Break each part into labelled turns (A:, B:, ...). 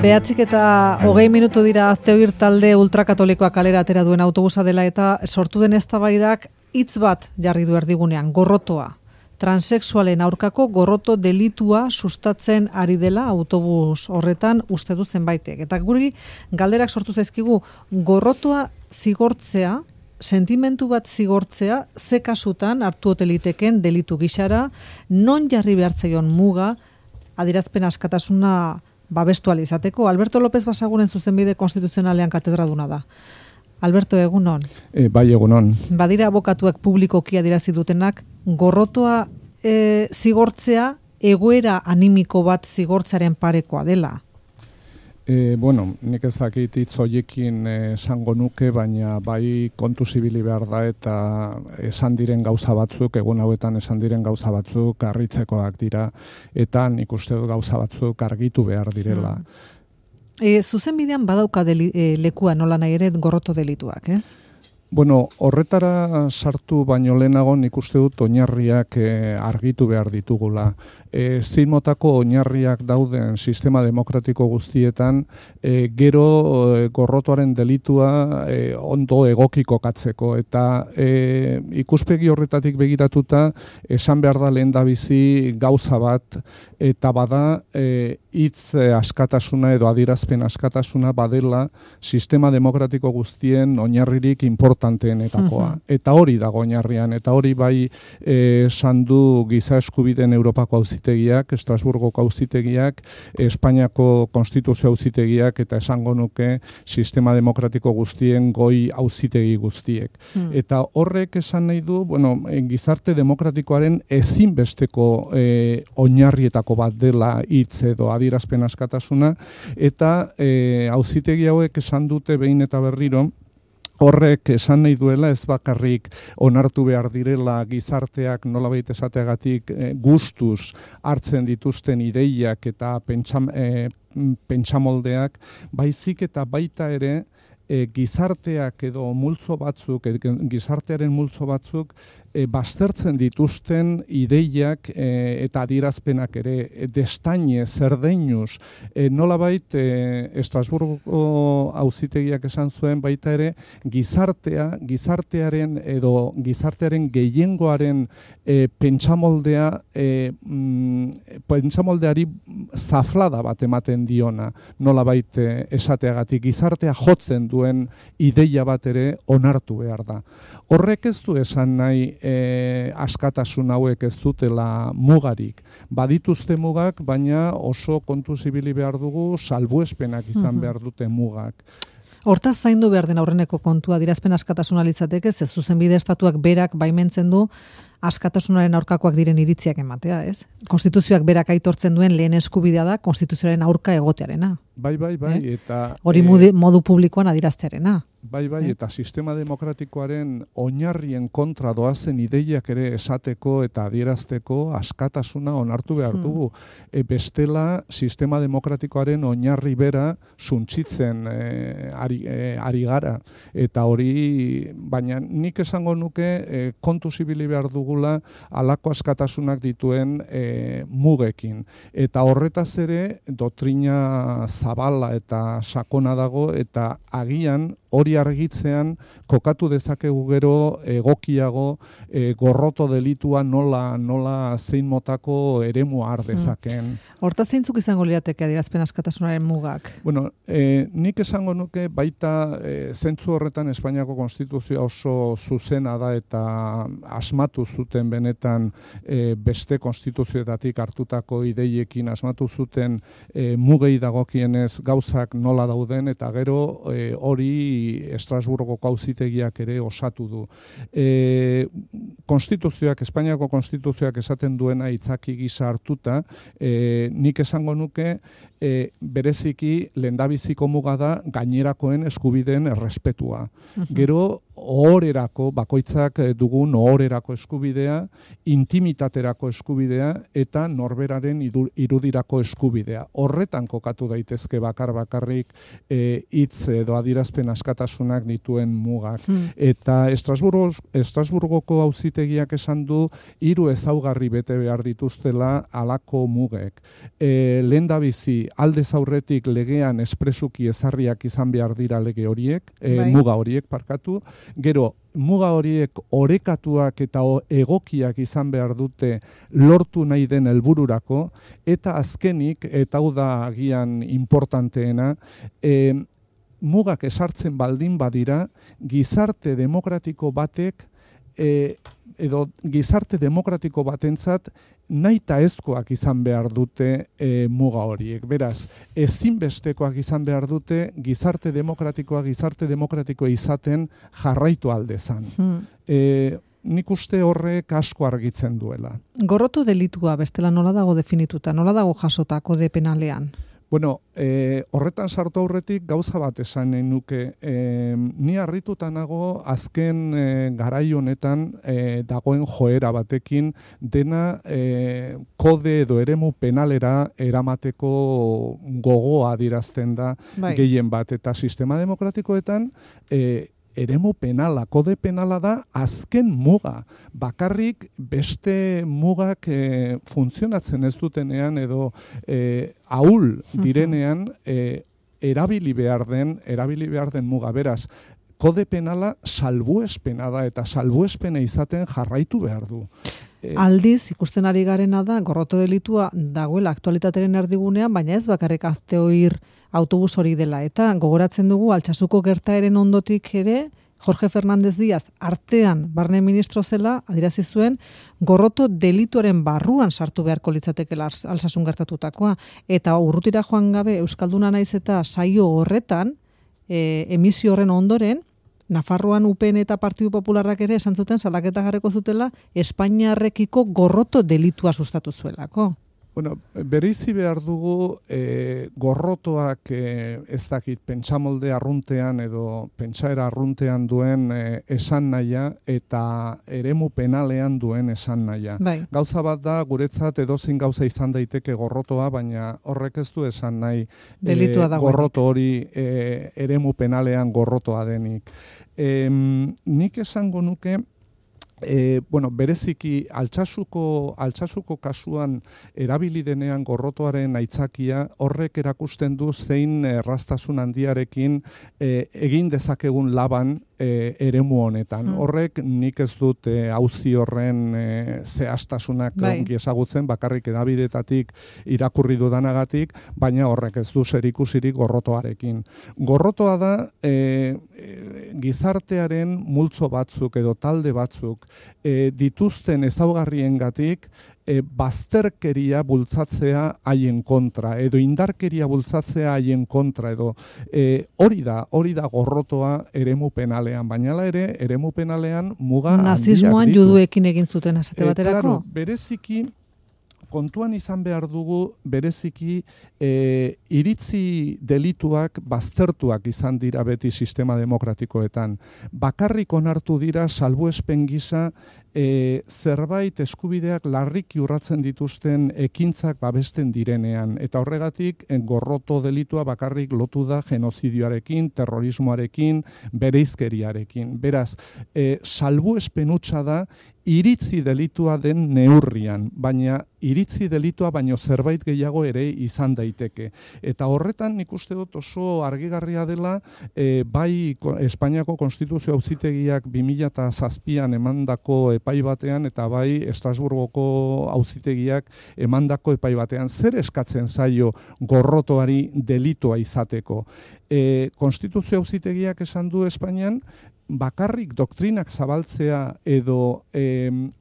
A: 9:20 dira Azteoir talde ultrakatolikoa kalera atera duen autobusa dela eta sortu den eztabaidak hitz bat jarri du erdigunean, gorrotoa. Transexualen aurkako gorroto delitua sustatzen ari dela autobus horretan uste du zenbaitek. Eta guri galderak sortu zaizkigu gorrotoa zigortzea, sentimentu bat zigortzea, ze kasutan hartu ote liteken delitu gisara, non jarri behartzaion muga, adierazpen askatasuna babestu ahal izateko. Alberto López Basaguren zuzenbide konstituzionalean katedraduna da. Alberto, egunon.
B: Bai, egunon.
A: Badira abokatuak publikoki adierazi dutenak, gorrotoa zigortzea egoera animiko bat zigortzaren parekoa dela.
B: Nik ez dakit hitz horiekin esango nuke, baina bai kontuz ibili behar da eta esan diren gauza batzuk, egun hauetan esan diren gauza batzuk harritzekoak dira, eta nik uste dut gauza batzuk argitu behar direla.
A: Zuzenbidean badauka lekua nola nahi ere gorroto delituak, ez?
B: Horretara sartu baino lehenago nik uste dut oinarriak argitu behar ditugula. Zein motako oinarriak dauden sistema demokratiko guztietan, gero gorrotoaren delitua ondo egokiko katzeko. Eta ikuspegi horretatik begiratuta, esan behar da lehendabizi gauza bat, eta bada hitz askatasuna edo adierazpen askatasuna badela sistema demokratiko guztien oinarririk importanteenetakoa. Eta hori dago oinarrian, eta hori bai sandu giza eskubideen Europako auzitegiak, Estrasburgoko auzitegiak, Espainiako konstituzio auzitegiak, eta esango nuke sistema demokratiko guztien goi auzitegi guztiek. Eta horrek esan nahi du, gizarte demokratikoaren ezinbesteko oinarrietako bat dela hitz edo adierazpen askatasuna, eta auzitegi hauek esan dute behin eta berriro, horrek esan nahi duela ez bakarrik onartu behar direla gizarteak nolabait esateagatik gustuz hartzen dituzten ideiak eta pentsamoldeak, baizik eta baita ere gizarteak edo multzo batzuk, gizartearen multzo batzuk baztertzen dituzten ideiak eta adierazpenak ere destaine, zerdeinuz, nolabait Estrasburgo auzitegiak esan zuen baita ere gizartearen gehiengoaren pentsamoldeari zaflada bat ematen diona, nolabait esateagatik gizartea jotzen duen ideia bat ere onartu behar da. Horrek ez du esan nahi askatasun hauek ez dutela mugarik. Badituzte mugak, baina oso kontuz ibili behar dugu salbuespenak izan behar dute mugak.
A: Hortaz zaindu behar den aurreneko kontua adierazpen askatasuna litzateke, ze zuzenbide estatuak berak baimentzen du askatasunaren aurkakoak diren iritziak ematea, ez? Konstituzioak berak aitortzen duen lehen eskubidea da konstituzioaren aurka egotearena.
B: Bai, eta
A: hori modu publikoan adieraztearena.
B: Bai, eta sistema demokratikoaren oinarrien kontra doazen ideiak ere esateko eta adierazteko askatasuna onartu behar dugu. Bestela, sistema demokratikoaren oinarri bera suntsitzen ari gara. Eta hori, baina nik esango nuke kontu zibili behar dugula halako askatasunak dituen mugekin. Eta horretaz ere, doktrina zabala eta sakona dago, eta agian hori argitzean kokatu dezakegu gero egokiago gorroto delitua nola zein motako eremua har dezaken.
A: Hortaz zeintzuk izango lirateke adierazpen askatasunaren mugak?
B: Nik esango nuke baita zentzu horretan Espainiako konstituzioa oso zuzena da eta asmatu zuten benetan beste konstituzioetatik hartutako ideiekin asmatu zuten mugei dagokienez gauzak nola dauden eta gero hori Estrasburgo auzitegiak ere osatu du. Espainiako konstituzioak esaten duena hitzaki gisa hartuta, nik esango nuke bereziki lehendabiziko muga da gainerakoen eskubideen errespetua. Gero ohorerako, bakoitzak dugun ohorerako eskubidea, intimitaterako eskubidea eta norberaren irudirako eskubidea. Horretan kokatu daitezke bakarrik hitz edo adierazpen askatasunak dituen mugak. Eta Estrasburgoko auzitegiak esan du 3 ezaugarri bete behar dituztela halako mugek. Lehendabizi aldez aurretik legean espresuki ezarriak izan behar dira lege horiek, muga horiek parkatu, gero muga horiek orekatuak eta egokiak izan behar dute lortu nahi den helbururako, eta azkenik, eta hau da agian importanteena, mugak esartzen baldin badira, gizarte demokratiko batek edo gizarte demokratiko batentzat nahita ezkoak izan behar dute muga horiek. Beraz, ezinbestekoak izan behar dute gizarte demokratikoa izaten jarraitu aldezan. Nik uste horrek asko argitzen duela.
A: Gorroto delitua bestela nola dago definituta, nola dago jasota kode penalean?
B: Bueno, horretan sartu aurretik gauza bat esan nahi nuke. Ni harrituta nago azken garai honetan dagoen joera batekin dena kode edo eremu penalera eramateko gogoa adierazten da gehien bat. Eta sistema demokratikoetan eremu penala, kode penala da azken muga. Bakarrik beste mugak funtzionatzen ez dutenean edo ahul direnean erabili behar den muga. Beraz, kode penala salbuespena da eta salbuespena izaten jarraitu behar du.
A: Aldiz, ikusten ari garena da, gorroto delitua dagoela aktualitateren erdigunean, baina ez bakarrik azteoir autobus hori dela. Eta gogoratzen dugu, Altsasuko gertaeren ondotik ere, Jorge Fernández Díaz artean barne ministro zela, adierazi zuen, gorroto delituaren barruan sartu beharko litzatekela Alsasun gertatutakoa. Eta urrutira joan gabe, Euskalduna naiz eta saio horretan, emisio horren ondoren, Nafarroan UPN eta Partidu Popularrak ere esan zuten salaketa jarriko zutela Espainiarrekiko gorroto delitua sustatu zuelako.
B: Bueno, bereizi behar dugu gorrotoak ez dakit pentsamolde arruntean edo pentsaera arruntean duen esan nahia eta eremu penalean duen esan nahia. Gauza bat da guretzat edozein gauza izan daiteke gorrotoa, baina horrek ez du esan nahi gorroto hori eremu penalean gorrotoa denik. Nik esango nuke bereziki Altsasuko kasuan erabili denean gorrotoaren aitzakia horrek erakusten du zein erraztasun handiarekin egin dezakegun laban eremu honetan. Horrek nik ez dut auzi horren zehaztasunak ongi ezagutzen, bakarrik hedabidetatik irakurri dudanagatik, baina horrek ez du zerikusirik gorrotoarekin. Gorrotoa da gizartearen multzo batzuk edo talde batzuk dituzten ezaugarriengatik bazterkeria bultzatzea haien kontra, edo indarkeria bultzatzea haien kontra, edo hori da gorrotoa eremu penalean, baina ere eremu penalean muga handiak ditu.
A: Nazismoan juduekin egin zuten esate baterako?
B: Claro, bereziki kontuan izan behar dugu bereziki iritzi delituak baztertuak izan dira beti sistema demokratikoetan. Bakarrik onartu dira salbuespen gisa zerbait eskubideak larriki urratzen dituzten ekintzak babesten direnean. Eta horregatik gorroto delitua bakarrik lotu da genozidioarekin, terrorismoarekin, bereizkeriarekin. Beraz, salbuespen hutsa da iritzi delitua den neurrian, baina iritzi delitua baino zerbait gehiago ere izan daiteke. Eta horretan nik uste dut oso argigarria dela bai Espainiako Konstituzio Auzitegiak 2007an emandako epai batean eta bai Estrasburgoko Auzitegiak emandako epai batean. Zer eskatzen zaio gorrotoari delitua izateko? Konstituzio Auzitegiak esan du Espainian bakarrik doktrinak zabaltzea edo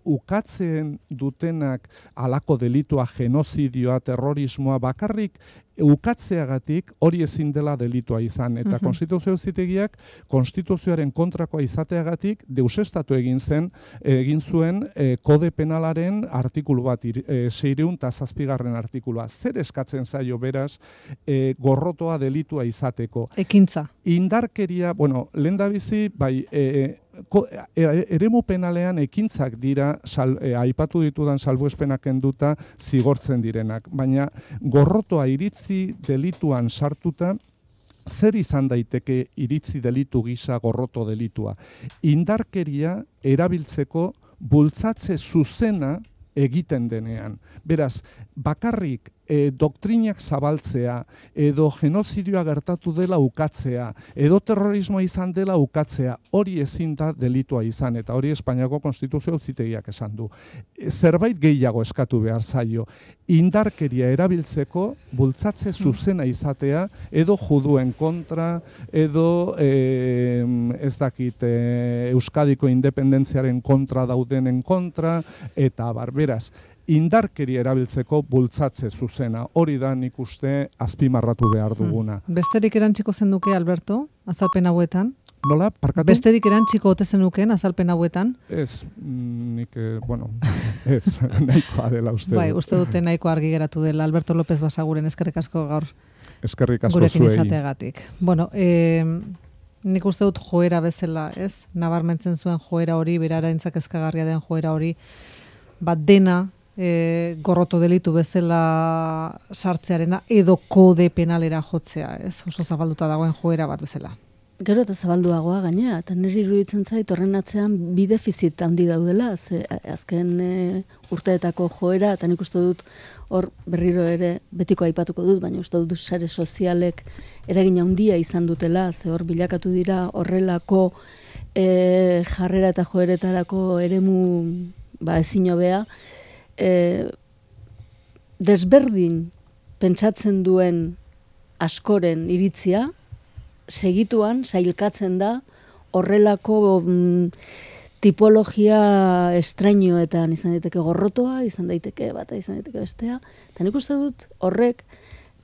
B: ukatzen dutenak halako delitua, genozidioa, terrorismoa, bakarrik ukatzeagatik hori ezin dela delitua izan. Eta Konstituzio Auzitegiak konstituzioaren kontrakoa izateagatik deusestatu egin zuen kode penalaren artikulu bat, 607. artikulua. Zer eskatzen zaio beraz gorrotoa delitua izateko?
A: Ekintza.
B: Indarkeria, lehendabizi, bai, eremu penalean ekintzak dira aipatu ditudan salbuespenak kenduta zigortzen direnak, baina gorrotoa iritzi delituan sartuta zer izan daiteke iritzi delitu gisa gorroto delitua? Indarkeria erabiltzeko bultzatze zuzena egiten denean. Beraz, bakarrik doktrinak zabaltzea, edo genozidioa gertatu dela ukatzea, edo terrorismoa izan dela ukatzea, hori ezin da delitua izan, eta hori Espainiako Konstituzio Auzitegiak esan du. Zerbait gehiago eskatu behar zaio, indarkeria erabiltzeko bultzatze zuzena izatea, edo juduen kontra, edo ez dakit Euskadiko independentziaren kontra daudenen kontra, eta beraz, indarkeria erabiltzeko bultzatze zuzena. Hori da nik uste azpimarratu behar duguna.
A: Besterik erantziko zenduke, Alberto, azalpen hauetan?
B: Nola, parkatu?
A: Besterik erantziko ote zenuken azalpen hauetan?
B: Ez, nik, ez, nahikoa dela uste.
A: Bai, uste dute nahiko argi geratu dela. Alberto López Basaguren eskerrik asko gaur.
B: Eskerrik asko
A: gurekin
B: zuei.
A: izateagatik. Bueno, nik uste dut joera bezala, ez? Nabarmentzen zuen joera hori, beraraintzak ezkagarria den joera hori, dena gorroto delitu bezala sartzearena edo kode penalera jotzea, ez? Oso zabalduta dagoen joera bat bezala.
C: Gero eta zabalduagoa gainera, eta niri iruditzen zait horren atzean bi defizit handi daudela, ze azken urteetako joera, eta nik uste dut hor berriro ere betiko aipatuko dut, baina uste dut sare sozialek eragin handia izan dutela, ze hor bilakatu dira horrelako jarrera eta joeretarako eremu ezin hobea, desberdin pentsatzen duen askoren iritzia, segituan sailkatzen da horrelako tipologia estrainoetan izan daiteke gorrotoa, izan daiteke bata, izan daiteke bestea, eta nik uste dut horrek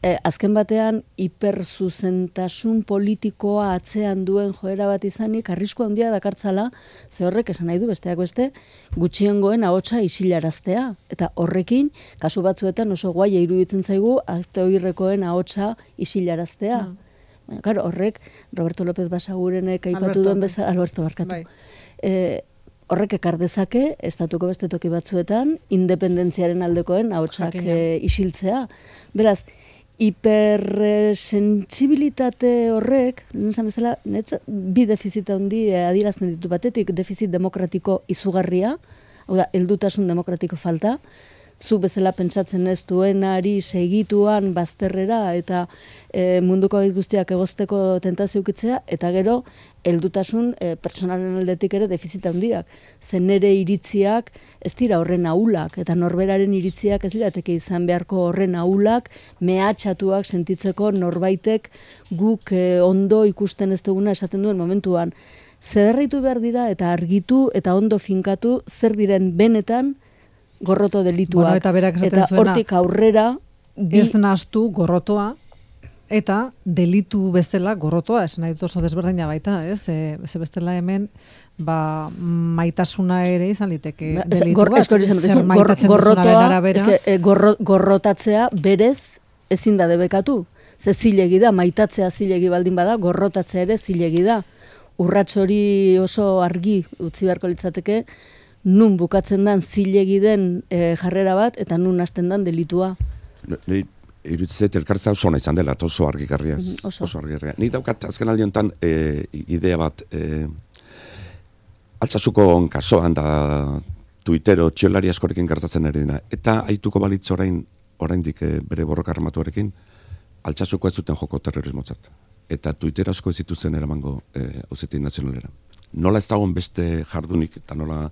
C: azken batean hiperzuzentasun politikoa atzean duen joera bat izanik arrisku handia dakartzala, ze horrek esan nahi du besteak beste gutxiengoen ahotsa isilaraztea, eta horrekin kasu batzuetan oso guaia iruditzen zaigu aktoirrekoen ahotsa isilaraztea. Claro, horrek Roberto López Basagurenek aipatu duen bezala, Alberto barkatu. Horrek ekar dezake estatuko beste toki batzuetan independentziaren aldekoen ahotsak isiltzea. Beraz, hipersentsibilitate horrek, esan bezala, bi defizita handi adierazten ditu batetik, defizit demokratiko izugarria, hau da, heldutasun demokratiko falta, zu bezala pentsatzen ez duenari segituan bazterrera eta munduko guztiak egozteko tentazio ukitzea, eta gero heldutasun pertsonalen aldetik ere defizita handiak. Zen nere iritziak ez dira horren ahulak, eta norberaren iritziak ez lirateke izan beharko horren ahulak, mehatxatuak sentitzeko norbaitek guk ondo ikusten ez duguna esaten duen momentuan. Zederritu behar dira eta argitu eta ondo finkatu zer diren benetan gorroto delituak. Eta hortik aurrera
A: ez nahastu gorrotoa eta delitu bezala gorrotoa, esan nahi dut oso desberdina baita, ez? Ze bestela hemen maitasuna ere izan liteke delitu bat. Zer maitatzen duzunaren arabera.
C: Gorrotatzea berez ezin da debekatu. Ze zilegi da, maitatzea zilegi baldin bada, gorrotatzea ere zilegi da. Urrats hori oso argi utzi beharko litzateke, nun bukatzen dan zilegi den jarrera bat, eta nun hasten dan delitua.
D: Iruditzet elkartza oso ona izan dela, oso argigarria. Oso argigarria. Nik daukat azken aldi honetan idea bat, Altsasuko kasoan da Twittero txolari askorekin gertatzen ari dena, eta aituko balitz oraindik bere borroka armatuarekin, Altsasuko ez zuten joko terrorismotzat. Eta Twitter asko ez zituzten eramango Auzitegi Nazionalera. Nola ez dagoen beste jardunik, eta nola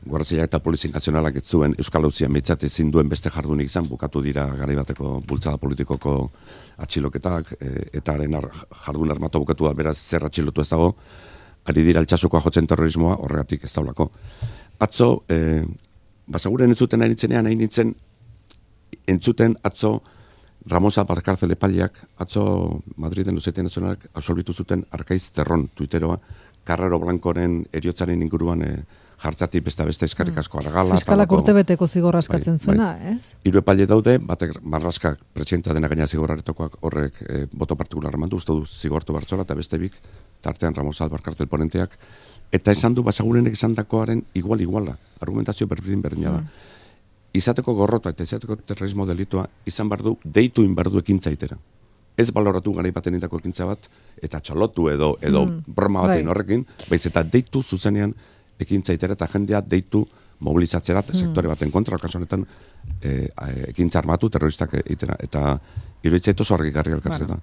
D: Guardia eta Polizia Nazionalak ez zuen Euskal Auzian behintzat ezin duen beste jardunik izan, bukatu dira garai bateko bultzada politikoko atxiloketak, eta haren jardun armatu bukatu da, beraz zer atxilotu ez dago, ari dira Altsasukoa jotzen terrorismoa, horregatik ez daulako. Atzo, Basaguren entzuten nahi nintzen, entzuten atzo Ramosa Barkarzel epaileak, atzo Madriden Auzitegi Nazionalak absolbitu zuten Arkaiz Zerron Twitteroa, Carrero Blancoren eriotzaren inguruan jartzatik beste eskarrik asko argala.
A: Fiskalak urtebeteko zigorra askatzen zuena, ez?
D: 3 epaile daude, batek Marlaskak presidenta dena gaina zigorraretokoak horrek boto partikular eman du, uste du zigortu bartzola, eta beste bik tartean Ramos Albar kartel ponenteak, eta esan du Basagurenek esan dakoaren iguala, argumentazio berdina da. Izateko gorrota eta izateko terrorismo delitua izan bardu, deitu inbardu ekintzaitera. Ez baloratu garai baten indako ekintza bat, eta txalotu edo broma batein horrekin, baiz eta deitu zuzenean ekintzaitera eta jendea deitu mobilizatzera sektore baten kontra, kasu honetan ekintza armatu terroristak egitera, eta iruditzaitu oso argigarri elkartzeta.